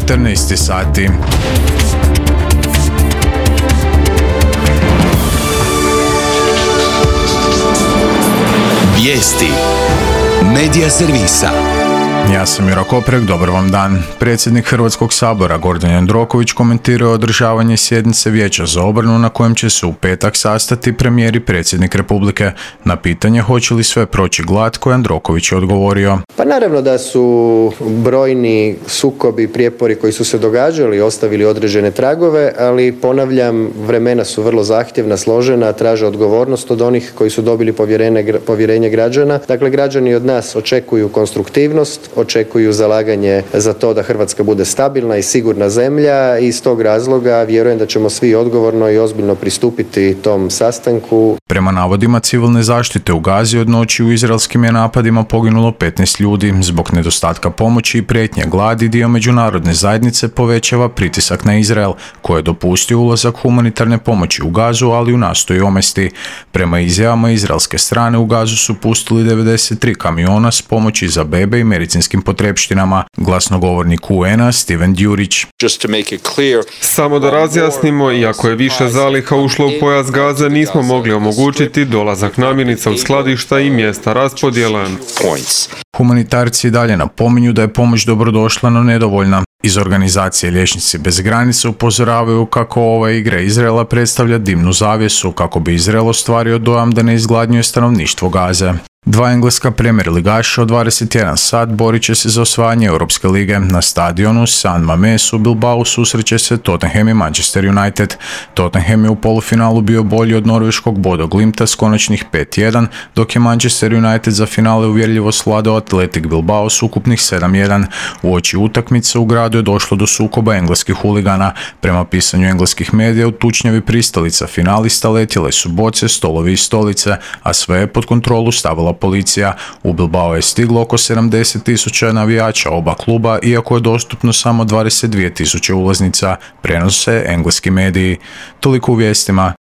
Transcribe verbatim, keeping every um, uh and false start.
četrnaest sati. Vijesti Medija servisa. Ja sam Juro Koprek, dobar vam dan. Predsjednik Hrvatskog sabora Gordan Jandroković komentirao je održavanje sjednice Vijeća za obranu na kojem će se u petak sastati premijer i predsjednik Republike. Na pitanje hoće li sve proći glatko, Jandroković je odgovorio. Pa naravno da su brojni sukobi, prijepori koji su se događali ostavili određene tragove, ali ponavljam, vremena su vrlo zahtjevna, složena, traže odgovornost od onih koji su dobili povjerenje, povjerenje građana. Dakle, građani od nas očekuju konstruktivnost, očekuju zalaganje za to da Hrvatska bude stabilna i sigurna zemlja i iz tog razloga vjerujem da ćemo svi odgovorno i ozbiljno pristupiti tom sastanku. Prema navodima civilne zaštite u Gazi od noći u izraelskim je napadima poginulo petnaest ljudi. Zbog nedostatka pomoći i prijetnje gladi dio međunarodne zajednice povećava pritisak na Izrael, koji je dopustio ulazak humanitarne pomoći u Gazu, ali ju nastoji omesti. Prema izjavama izraelske strane u Gazu su pustili devedeset tri kamiona s pomoći za bebe i medicinskim potrepštinama. Glasnogovornik U N-a Steven Djurić. Samo da razjasnimo, iako je više zaliha ušlo u pojas Gaze, nismo mogli omogućiti dolazak namirnica u skladišta i mjesta raspodjele. Humanitarci dalje napominju da je pomoć dobrodošla, no nedovoljna. Iz organizacije Liječnici bez granica upozoravaju kako ova igra Izraela predstavlja dimnu zavjesu, kako bi Izrael ostvario dojam da ne izgladnjuje stanovništvo Gaze. Dva engleska Premier ligaša od dvadeset jedan sat borit će se za osvajanje Europske lige. Na stadionu San Mamés u Bilbao susreće se Tottenham i Manchester United. Tottenham je u polufinalu bio bolji od norveškog Bodo Glimta s konačnih pet jedan, dok je Manchester United za finale uvjerljivo svladao Athletic Bilbao s ukupnih sedam jedan. Uoči utakmice u gradu je došlo do sukoba engleskih huligana. Prema pisanju engleskih medija u tučnjavi pristalica finalista letjele su boce, stolovi i stolice, a sve je pod kontrolu stavila policija. U Bilbao je stiglo oko sedamdeset tisuća navijača oba kluba, iako je dostupno samo dvadeset dvije tisuće ulaznica, prenose engleski mediji. Toliko u vijestima,